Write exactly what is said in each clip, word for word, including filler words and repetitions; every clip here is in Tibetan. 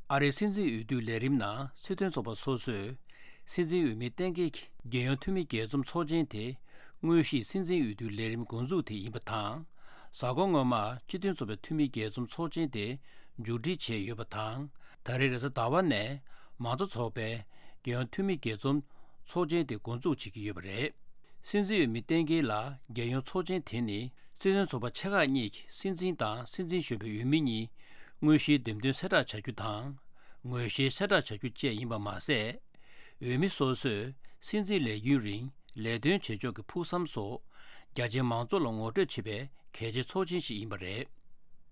ཨ་རིའི་སྲིད་འཛིན་འོས་བསྡུའི་ལས་རིམ་ནང་སྲིད་དོན་ཚོགས་པ་སོ་སོས་སྲིད་འཛིན་འོས་མི་གཏན་འཁེལ་གྱི་རྒྱལ་ཡོངས་འཐུས་མི་རྒྱས་འཛོམས་ཚོགས་ཆེན་དེ་དངོས་གཞིའི་སྲིད་འཛིན་འོས་བསྡུའི་ལས་རིམ་འགོ་འཛུགས་དེ་ཡིན་པ་དང་། གཟའ་འཁོར་སྔོན་མ་སྤྱི་མཐུན་ཚོགས་པའི་འཐུས་མི་རྒྱས་འཛོམས་ཚོགས་ཆེན་དེ་མཇུག་སྒྲིལ་བྱས་ཡོད་པ་དང་། ད་རེས་རེས་གཟའ་ཟླ་བ་ནས་མང་གཙོ་ཚོགས་པའི་རྒྱལ་ཡོངས་འཐུས་མི་རྒྱས་འཛོམས་ཚོགས་ཆེན་དེ་འགོ་འཛུགས་བྱེད་ཀྱི་ཡོད་པ་རེད། སྲིད་འཛིན་འོས་མི་གཏན་འཁེལ་ལ་རྒྱལ་ཡོངས་ཚོགས་ཆེན་དེ་ནི་སྲིད་དོན་ཚོགས་པ་ཆེ་ཁག་གཉིས་ཀྱི་སྲིད་འཛིན་དང་སྲིད་འཛིན་གཞོན་པའི་འོས་མི་གཉིས་དངོས་གཞིའི་འདེམས་ཐོན་གསལ་བསྒྲགས་བྱ་རྒྱུ་དང་། ངོས་བཞེས་གསལ་བསྒྲགས་བྱ་རྒྱུ་བཅས་ཡིན་པ་མ་ཟད། འོས་མི་སོ་སོས་སྲིད་འཛིན་ལས་རྒྱུན་རིང་ལས་དོན་བྱེད་ཕྱོགས་ཀྱི་ཕུགས་བསམ་སོགས་རྒྱ་ཆེའི་མང་ཚོགས་ལ་ངོ་སྤྲོད་བྱེད་པའི་གལ་ཆེའི་ཚོགས་ཆེན་ཞིག་ཡིན་པ་རེད།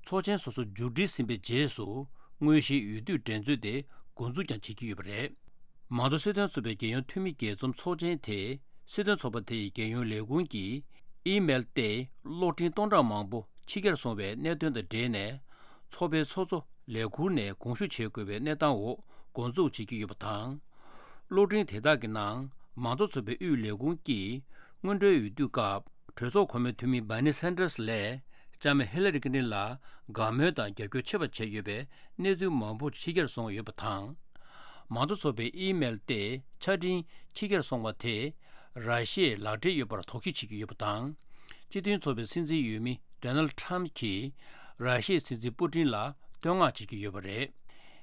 ཚོགས་ཆེན་སོ་སོ་མཇུག་སྒྲིལ་ཟིན་པའི་རྗེས་སུ་དངོས་གཞིའི་འོས་བསྡུའི་འགྲན་རྩོད་དེ་འགོ་འཛུགས་ཀྱང་བྱེད་ཀྱི་ཡོད་པ་རེད། མང་གཙོ་སྲིད་དོན་ཚོགས་པའི་རྒྱལ་ཡོངས་འཐུས་མི་རྒྱས་འཛོམས་ཚོགས་ཆེན་དེ་སྲིད་དོན་ཚོགས་པ་དེ་ཡི་རྒྱལ་ཡོངས་ལས་ཁུངས་ཀྱི་ཨི་མེལ་སྟེང་གློག་འཕྲིན་སྟོང་ཕྲག་མང་པོ་ཕྱི་གྱར་སོང་བའི་གནད་དོན་དང་འབྲེལ་ནས། ཚོགས་པའི་ཚོགས་གཙོ་ལས་ཁུར་ནས་དགོངས་ཞུ་བྱེད་དགོས་པའི་གནས་སྟངས་འོག་འགོ་འཛུགས་བྱེད་ཀྱི་ཡོད་པ་དང་། གློག་འཕྲིན་དེ་དག་གི་ནང་མང་གཙོ་ཚོགས་པའི་དབུས་ལས་ཁུངས་ཀྱིས་སྔོན་འགྲོའི་འོས་བསྡུའི་སྐབས་གྲོས་ཚོགས་གོང་མའི་འཐུས་མི་Bernie Sanders་ལས་ལྕམ་Hillary Clinton་ལ་དགའ་མོས་དང་རྒྱབ་སྐྱོར་ཆེ་བ་བྱས་ཡོད་པའི་གནས་ཚུལ་མང་པོ་ཕྱི་གྱར་སོང་ཡོད་པ་དང་། མང་གཙོ་ཚོགས་པའི་ཨི་མེལ་སྟེང་ཆ་འཕྲིན་ཕྱི་གྱར་སོང་བ་དེས་ར་ཤི་ཡའི་ལག་འབྲེལ་ཡོད་པར་དོགས་གཞི་བྱེད་ཀྱི་ཡོད་པ་དང་། སྤྱི་མཐུན་ཚོགས་པའི་སྲིད་འཛིན་འོས་མི་Donald Trump་གྱིས་ར་ཤི་ཡའི་སྲིད་འཛིན་པུ་ཏིན་ལ་བསྟོད་བསྔགས་བྱེད་ཀྱི་ཡོད་པ་རེད།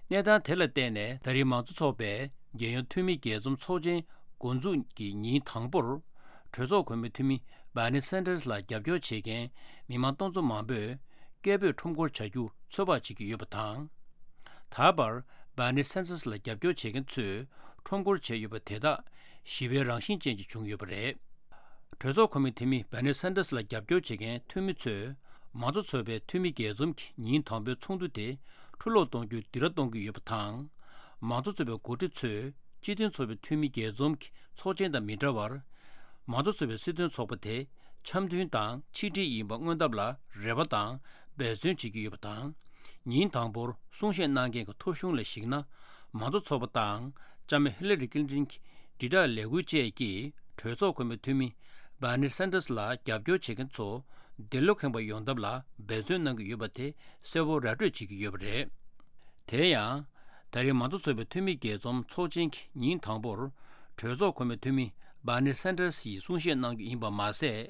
གནས་སྟངས་དེ་ལ་བརྟེན་ནས་ད་རེས་མང་གཙོ་ཚོགས་པའི་རྒྱལ་ཡོངས་འཐུས་མི་རྒྱས་འཛོམས་ཚོགས་ཆེན་འགོ་འཛུགས་ཀྱི་ཉིན་དང་པོར། གྲོས་ཚོགས་གོང་མའི་འཐུས་མི་Bernie Sanders་ལ་རྒྱབ་སྐྱོར་བྱེད་མཁན་མི་མང་སྟོང་ཚོ་མང་པོས་སྐད་འབོད་ཁྲོམ་སྐོར་བྱ་རྒྱུ་ཚོད་དཔག་བྱེད་ཀྱི་ཡོད་པ་དང་། ད་བར་Bernie Sanders་ལ་རྒྱབ་སྐྱོར་བྱེད་མཁན་ཚོས་ཁྲོམ་སྐོར་བྱས་ཡོད་པ་དེ་དག་ཞི་བའི་རང་བཞིན་ཅན་ཞིག་བྱུང་ཡོད་པ་རེད། གྲོས་ཚོགས་གོང་མའི་འཐུས་མི་Bernie Sanders་ལ་རྒྱབ་སྐྱོར་བྱེད་མཁན་འཐུས་མི་ཚོས་མང་གཙོ་ཚོགས་པའི་འཐུས་མི་རྒྱས་འཛོམས་ཀྱི་ཉིན་དང་པོའི་ཚོགས་འདུ་དེ་འཁྲུ་སློག་གཏོང་རྒྱུའི་སྡིགས་ར་གཏོང་གི་ཡོད་པ་དང་། མང་གཙོ་ཚོགས་པའི་འགོ་ཁྲིད་ཚོས་སྤྱི་མཐུན་ཚོགས་པའི་འཐུས་མི་རྒྱས་འཛོམས་ཀྱི་ཚོགས་ཆེན་དང་མི་འདྲ་བར། མང་གཙོ་ཚོགས་པའི་སྲིད་དོན་ཚོགས་པ་དེ་འཆམ་མཐུན་དང་ཆིག་སྒྲིལ་ཡིན་པ་མངོན་ཐབས་ལ་རེ་བ་དང་འབད་བརྩོན་བྱེད་ཀྱི་ཡོད་པ་དང་། ཉིན་དང་པོར་གསུང་བཤད་གནང་མཁན་གྱི་ཐོ་གཞུང་ལ་གཞིགས་ན། མང་གཙོ་ཚོགས་པ་དང་ལྕམ་Hillary Clinton་གྱི་དྲིལ་བསྒྲགས་ལས་འགུལ་བཅས་ཀྱིས་གྲོས་ཚོགས་གོང་མའི་འཐུས་མི་Bernie Sanders་ལ་རྒྱབ་སྐྱོར་བྱེད་མཁན་ཚོ་འདི་ལོ་ཁེངས་པ་ཡོང་ཐབས་ལ་འབད་བརྩོན་གནང་གི་ཡོད་པ་དེ་གསལ་བོ་ར་སྤྲོད་བྱེད་ཀྱི་ཡོད་པ་རེད། དེ་ཡང་། ད་རེས་མང་གཙོ་ཚོགས་པའི་འཐུས་མི་རྒྱས་འཛོམས་ཚོགས་ཆེན་གྱི་ཉིན་དང་པོར། གྲོས་ཚོགས་གོང་མའི་འཐུས་མི་Bernie Sanders་ཡིས་གསུང་བཤད་གནང་རྒྱུ་ཡིན་པ་མ་ཟད།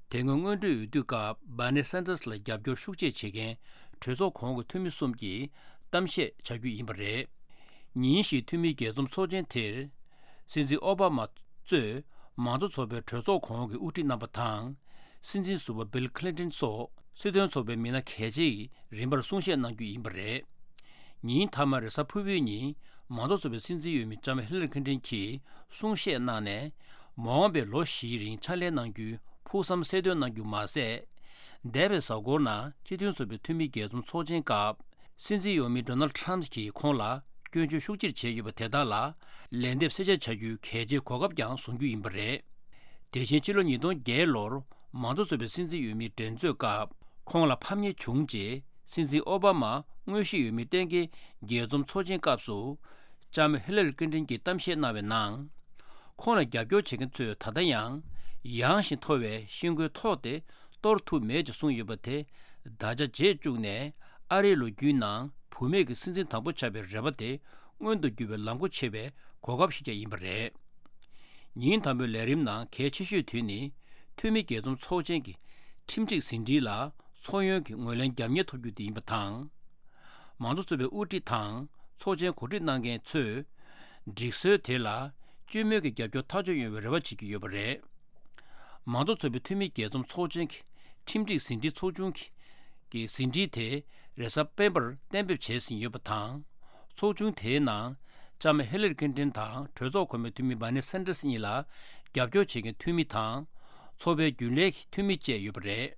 དེ་སྔོན་སྔོན་འགྲོའི་འོས་བསྡུའི་སྐབས་Bernie Sanders་ལ་རྒྱབ་སྐྱོར་ཤུགས་ཆེ་བྱེད་མཁན་གྲོས་ཚོགས་གོང་གི་འཐུས་མི་གསུམ་གྱིས་གཏམ་བཤད་བྱ་རྒྱུ་ཡིན་པ་རེད། ཉིན་ཞིག་འཐུས་མི་རྒྱས་འཛོམས་ཚོགས་ཆེན་དེར། སྲིད་འཛིན་ཨོ་བྷ་མ་གཙོས་མང་གཙོ་ཚོགས་པའི་གྲོས་ཚོགས་གོང་གི་དབུ་ཁྲིད་རྣམ་པ་དང་། སྲིད་འཛིན་ཟུར་པ་Bill Clinton་སོགས་སྲིད་དོན་ཚོགས་པའི་མི་སྣ་གལ་ཆེ་ཡི་རིམ་པར་གསུང་བཤད་གནང་རྒྱུ་ཡིན་པ་རེད། ཉིན་མཐའ་མ་རེས་གཟའ་ཕུར་བུའི་ཉིན་མང་གཙོ་ཚོགས་པའི་སྲིད་འཛིན་འོས་མི་ལྕམ་Hillary Clinton་གྱིས་གསུང་བཤད་གནང་ནས། མ་འོངས་པའི་ལོ་བཞིའི་རིང་ཕྱག་ལས་གནང་རྒྱུའི་ཕུགས་བསམ་གསལ་སྟོན་གནང་རྒྱུ་མ་ཟད། འདས་པའི་གཟའ་འཁོར་ནང་སྤྱི་མཐུན་ཚོགས་པའི་འཐུས་མི་རྒྱས་འཛོམས་ཚོགས་ཆེན་སྐབས། སྲིད་འཛིན་འོས་མི་Donald Trump་གྱིས་ཁོང་ལ་སྐྱོན་བརྗོད་ཤུགས་ཆེར་བྱས་ཡོད་པ་དེ་དག་ལ་ལན་འདེབས་གསལ་བཤད་བྱ་རྒྱུའི་གལ་ཆེའི་གོ་སྐབས་ཀྱང་བཟུང་རྒྱུ་ཡིན་པ་རེད། དེ་བཞིན་ཕྱི་ལོ་ཉིས་སྟོང་བརྒྱད་ལོར་མང་གཙོ་ཚོགས་པའི་སྲིད་འཛིན་འོས་མིའི་འགྲན་རྩོད་སྐབས་ཁོང་ལ་ཕམ་ཉེས་བྱུང་རྗེས་སྲིད་འཛིན་ཨོ་བྷ་མ་དངོས་གཞིའི་འོས་མི་གཏན་འཁེལ་རྒྱས་འཛོམས་ཚོགས་ཆེན་སྐབས་སུ་ལྕམ་Hillary Clinton་གྱིས་གཏམ་བཤད་གནང་བའི་ནང་། ཁོང་ལ་རྒྱབ་སྐྱོར་བྱེད་མཁན་ཚོས་ད་ལྟ་ཡང་ཡངས་ཤིང་མཐོ་བའི་ཤིང་ཁུའི་ཐོག་དེ་གཏོར་ཐུབ་མེད་ཅེས་གསུངས་ཡོད་པ་དེ་བརྡ་ཆད་བཅད་བཅུག་ནས་ཨ་རིའི་ལོ་རྒྱུས་ནང་བུད་མེད་ཀྱི་སྲིད་འཛིན་དང་པོ་ཆགས་པའི་རེ་བ་དེ་མངོན་དུ་འགྱུར་བའི་ལམ་སྒོ་ཕྱེ་བའི་གོ་སྐབས་ཤིག་ཀྱང་ཡིན་པ་རེད། ཉིན་དང་པོའི་ལས་རིམ་ནང་གལ་ཆེ་ཤོས་དེ་ནི་འཐུས་མི་རྒྱས་འཛོམས་ཚོགས་ཆེན་གྱི་ཁྲིམས་སྒྲིག་ཟིན་བྲིས་ལ་ཚོགས་ཡོན་གྱི་ངོས་ལེན་རྒྱབ་གཉེར་ཐོབ་རྒྱུ་དེ་ཡིན་པ་དང་། མང་གཙོ་ཚོགས་པའི་དབུ་ཁྲིད་དང་ཚོགས་ཆེན་གོ་སྒྲིག་གནང་མཁན་ཚོས་སྒྲིག་སྲོལ་དེ་ལ་སྤྱི་མོས་ཀྱི་རྒྱབ་སྐྱོར་ཐག་གཅོད་ཡོང་བའི་རེ་བ་བྱེད་ཀྱི་ཡོད་པ་རེད། མང་གཙོ་ཚོགས་པའི་འཐུས་མི་རྒྱས་འཛོམས་ཚོགས་ཆེན་གྱི་ཁྲིམས་སྒྲིག་ཟིན་བྲིས་ཚོགས་ཆུང་གི་གི་ཟིན་བྲིས་དེ་རེས་གཟའ་སྤེན་པར་གཏན་འབེབས་བྱས་ཟིན་ཡོད་པ་དང་། ཚོགས་ཆུང་དེའི་ནང་ལྕམ་Hillary Clinton་དང་གྲོས་ཚོགས་གོང་མའི་འཐུས་མི་Bernie Sanders་གཉིས་ལ་རྒྱབ་སྐྱོར་བྱེད་མཁན་འཐུས་མི་དང་། ཚོགས་པའི་རྒྱུན་ལས་ཀྱི་འཐུས་མི་བཅས་ཡོད་པ་རེད།